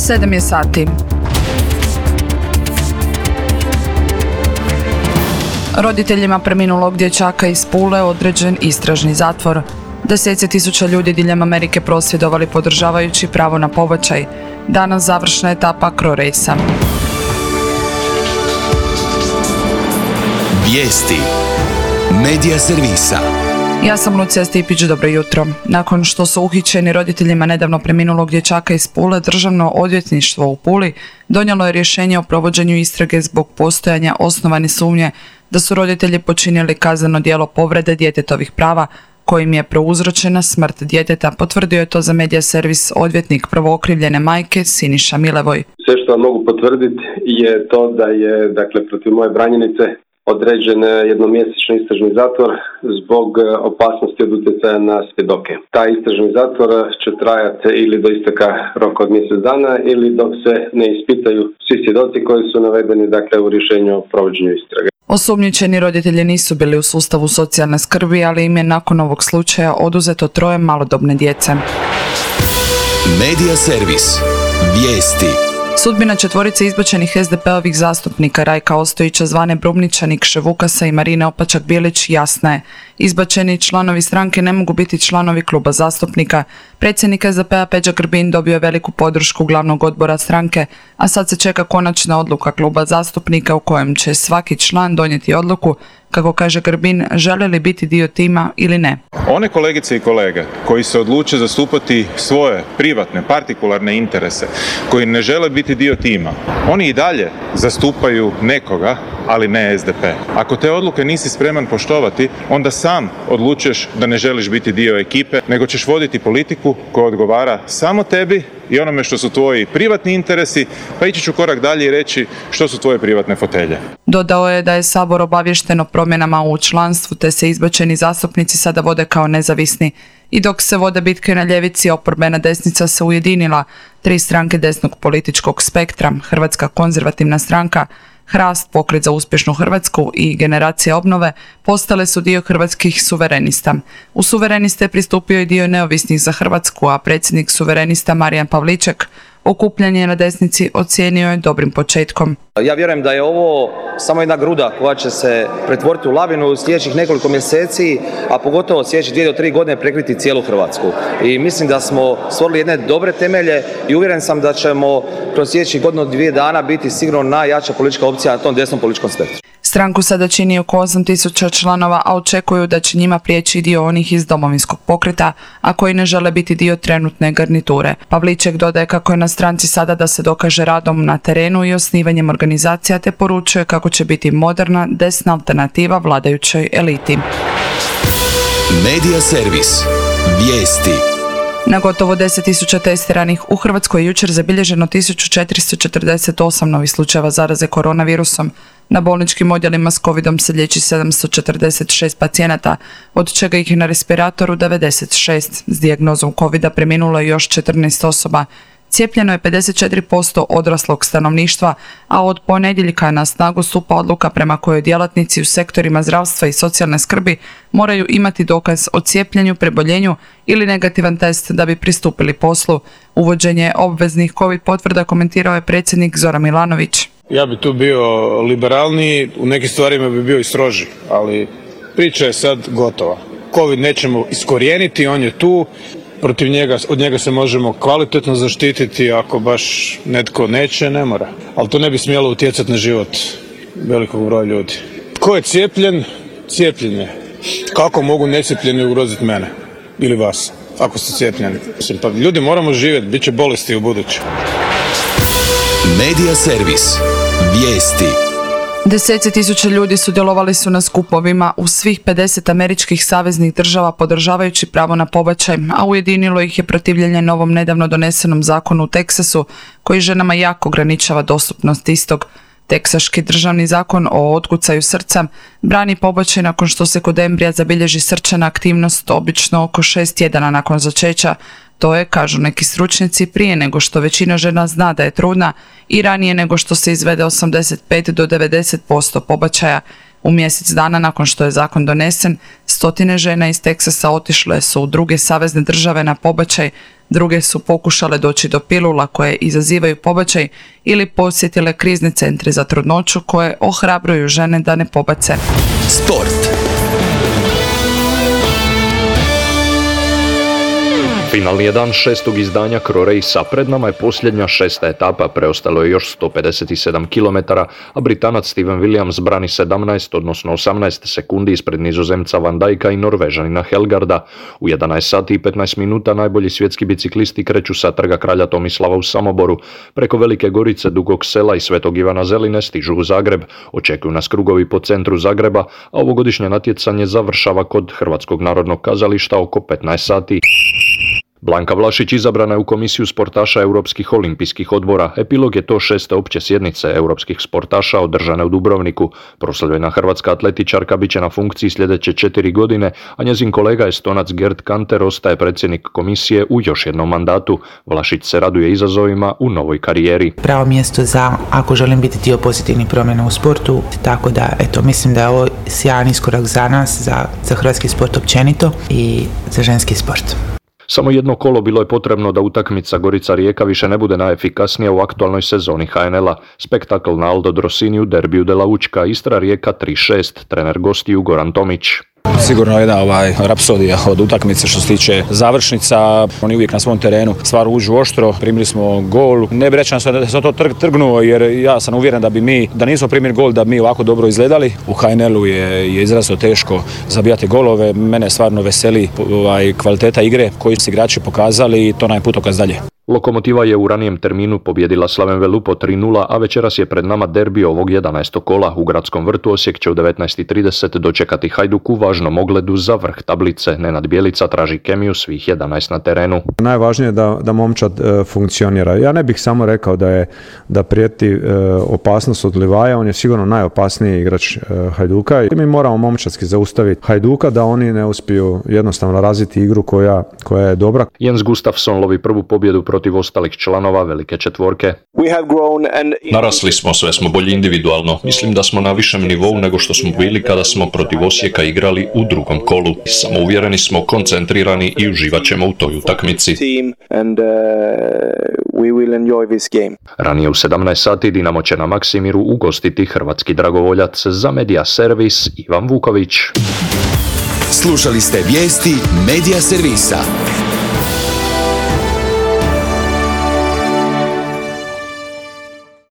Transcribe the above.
7 je sati. Roditeljima preminulog dječaka iz Pule određen istražni zatvor. Deseci tisuća ljudi diljem Amerike prosvjedovali podržavajući pravo na pobačaj. Danas završna etapa CRO rejsa. Vijesti Medija servisa. Ja sam Lucija Stipić, dobro jutro. Nakon što su uhićeni roditeljima nedavno preminulog dječaka iz Pule, Državno odvjetništvo u Puli donijelo je rješenje o provođenju istrage zbog postojanja osnovane sumnje da su roditelji počinili kazneno djelo povrede djetetovih prava kojim je prouzročena smrt djeteta. Potvrdio je to za Medija servis odvjetnik prvookrivljene majke Siniša Milevoj. Sve što vam mogu potvrditi je to da je, protiv moje branjenice određen jednomjesečni istražni zatvor zbog opasnosti od utjecaja na svjedoke. Taj istražni zatvor će trajati ili do isteka roka od mjesec dana ili dok se ne ispitaju svi svjedoci koji su navedeni u rješenju o provođenju istrage. Osumnjičeni roditelji nisu bili u sustavu socijalne skrbi, ali im je nakon ovog slučaja oduzeto 3 malodobne djece. Medija servis. Vijesti. Sudbina 4 izbačenih SDP-ovih zastupnika Rajka Ostojića zvane Brumnića, Nikše Vukasa i Marine Opačak-Bilić jasna je. Izbačeni članovi stranke ne mogu biti članovi kluba zastupnika. Predsjednik SDP-a Peđa Grbin dobio je veliku podršku glavnog odbora stranke, a sad se čeka konačna odluka kluba zastupnika u kojem će svaki član donijeti odluku, kako kaže Grbin, žele li biti dio tima ili ne. One kolegice i kolege koji se odluče zastupati svoje privatne, partikularne interese, koji ne žele biti dio tima, oni i dalje zastupaju nekoga, ali ne SDP. Ako te odluke nisi spreman poštovati, onda sam odlučuješ da ne želiš biti dio ekipe, nego ćeš voditi politiku koja odgovara samo tebi i onome što su tvoji privatni interesi, pa ići ću korak dalje i reći što su tvoje privatne fotelje. Dodao je da je Sabor obaviješten o promjenama u članstvu, te se izbačeni zastupnici sada vode kao nezavisni. I dok se vode bitke na ljevici, oporbena desnica se ujedinila. 3 stranke desnog političkog spektra, Hrvatska konzervativna stranka, Hrast, Pokret za uspješnu Hrvatsku i Generacija obnove postale su dio hrvatskih suverenista. U suvereniste je pristupio i dio neovisnih za Hrvatsku, a predsjednik suverenista Marijan Pavliček okupljanje na desnici ocijenio je dobrim početkom. Ja vjerujem da je ovo samo jedna gruda koja će se pretvoriti u lavinu u sljedećih nekoliko mjeseci, a pogotovo sljedećih 2 do 3 godine prekriti cijelu Hrvatsku. I mislim da smo stvorili jedne dobre temelje i uvjeren sam da ćemo kroz sljedećih 1-2 dana biti sigurno najjača politička opcija na tom desnom političkom spektru. Stranku sada čini oko 8.000 članova, a očekuju da će njima prijeći dio onih iz Domovinskog pokreta, a koji ne žele biti dio trenutne garniture. Pavliček dodaje kako je na stranci sada da se dokaže radom na terenu i osnivanjem organizacija, te poručuje kako će biti moderna, desna alternativa vladajućoj eliti. Medija servis. Vijesti. Na gotovo 10.000 testiranih u Hrvatskoj je jučer zabilježeno 1448 novih slučajeva zaraze koronavirusom. Na bolničkim odjelima s covidom se liječi 746 pacijenata, od čega ih je na respiratoru 96. S dijagnozom covida preminulo je još 14 osoba. Cijepljeno je 54% odraslog stanovništva, a od ponedjeljka na snagu stupa odluka prema kojoj djelatnici u sektorima zdravstva i socijalne skrbi moraju imati dokaz o cijepljenju, preboljenju ili negativan test da bi pristupili poslu. Uvođenje obveznih covid potvrda komentirao je predsjednik Zoran Milanović. Ja bi tu bio liberalniji, u nekim stvarima bi bio i stroži, ali priča je sad gotova. Covid nećemo iskorijeniti, on je tu. Od njega se možemo kvalitetno zaštititi, ako baš netko neće, ne mora. Ali to ne bi smjelo utjecati na život velikog broja ljudi. Ko je cijepljen? Cijepljen je. Kako mogu necijepljeni ugroziti mene ili vas, ako ste cijepljeni? Pa ljudi, moramo živjeti, bit će bolesti u buduće. Medija servis. Vijesti. Deseci tisuća ljudi sudjelovali su na skupovima u svih 50 američkih saveznih država podržavajući pravo na pobačaj, a ujedinilo ih je protivljenje novom nedavno donesenom zakonu u Teksasu koji ženama jako ograničava dostupnost istog. Teksaški državni zakon o otkucaju srca brani pobačaj nakon što se kod embrija zabilježi srčana aktivnost obično oko 6 tjedana nakon začeća. To je, kažu neki stručnjaci, prije nego što većina žena zna da je trudna i ranije nego što se izvede 85 do 90% pobačaja. U mjesec dana nakon što je zakon donesen, 100 žena iz Teksasa otišle su u druge savezne države na pobačaj, Druge su pokušale doći do pilula koje izazivaju pobačaj ili posjetile krizni centri za trudnoću koje ohrabruju žene da ne pobace. Sport. Finalni je dan 6. izdanja Cro-Racea, pred nama je posljednja 6. etapa, preostalo je još 157 km, a Britanac Steven Williams brani 17, odnosno 18 sekundi ispred Nizozemca Van Dijka i Norvežanina Helgarda. U 11 sati i 15 minuta najbolji svjetski biciklisti kreću sa trga Kralja Tomislava u Samoboru. Preko Velike Gorice, Dugog Sela i Svetog Ivana Zeline stižu u Zagreb. Očekuju nas krugovi po centru Zagreba, a ovogodišnje natjecanje završava kod Hrvatskog narodnog kazališta oko 15 sati. Blanka Vlašić izabrana je u komisiju sportaša Europskih olimpijskih odbora. Epilog je to 6. opće sjednice europskih sportaša održane u Dubrovniku. Proslavljena hrvatska atletičarka bit će na funkciji sljedeće 4 godine, a njezin kolega Estonac Gerd Kanter ostaje predsjednik komisije u još jednom mandatu. Vlašić se raduje izazovima u novoj karijeri. Pravo mjesto za ako želim biti dio pozitivnih promjena u sportu, tako da mislim da je ovo sjajan iskorak za nas, za hrvatski sport općenito i za ženski sport. Samo jedno kolo bilo je potrebno da utakmica Gorica-Rijeka više ne bude najefikasnija u aktualnoj sezoni HNL-a. Spektakl na Aldo Drosini u derbiju de la Učka, Istra-Rijeka 3-6, trener gostiju Goran Tomić. Sigurno jedna rapsodija od utakmice što se tiče završnica. Oni uvijek na svom terenu stvar uđu oštro, primili smo gol. Ne bi rečeno da se to trgnuo jer ja sam uvjeren da nismo primili gol da bi mi ovako dobro izgledali. U HNL-u je izrazito teško zabijati golove. Mene stvarno veseli kvaliteta igre koju su igrači pokazali i to nam je putokaz dalje. Lokomotiva je u ranijem terminu pobjedila Slaven Velupo 3-0, a večeras je pred nama derbi ovog 11. kola. U Gradskom vrtu Osijek će u 19:30 dočekati Hajduk u važnom ogledu za vrh tablice. Nenad Bjelica traži kemiju svih 11 na terenu. Najvažnije je da momčad funkcionira. Ja ne bih samo rekao da prijeti opasnost od Livaja, on je sigurno najopasniji igrač Hajduka. Mi moramo momčadski zaustaviti Hajduka da oni ne uspiju jednostavno razviti igru koja je dobra. Jens Gustafsson lovi prvu pobjedu protiv ostalih članova velike četvorke. Narasli smo, sve smo bolji individualno. Mislim da smo na višem nivou nego što smo bili kada smo protiv Osijeka igrali u drugom kolu. Samouvjereni smo, koncentrirani i uživat ćemo u toj utakmici. Ranije u 17 sati Dinamo će na Maksimiru ugostiti hrvatski dragovoljac. Za Media Servis Ivan Vuković. Slušali ste vijesti Media Servisa.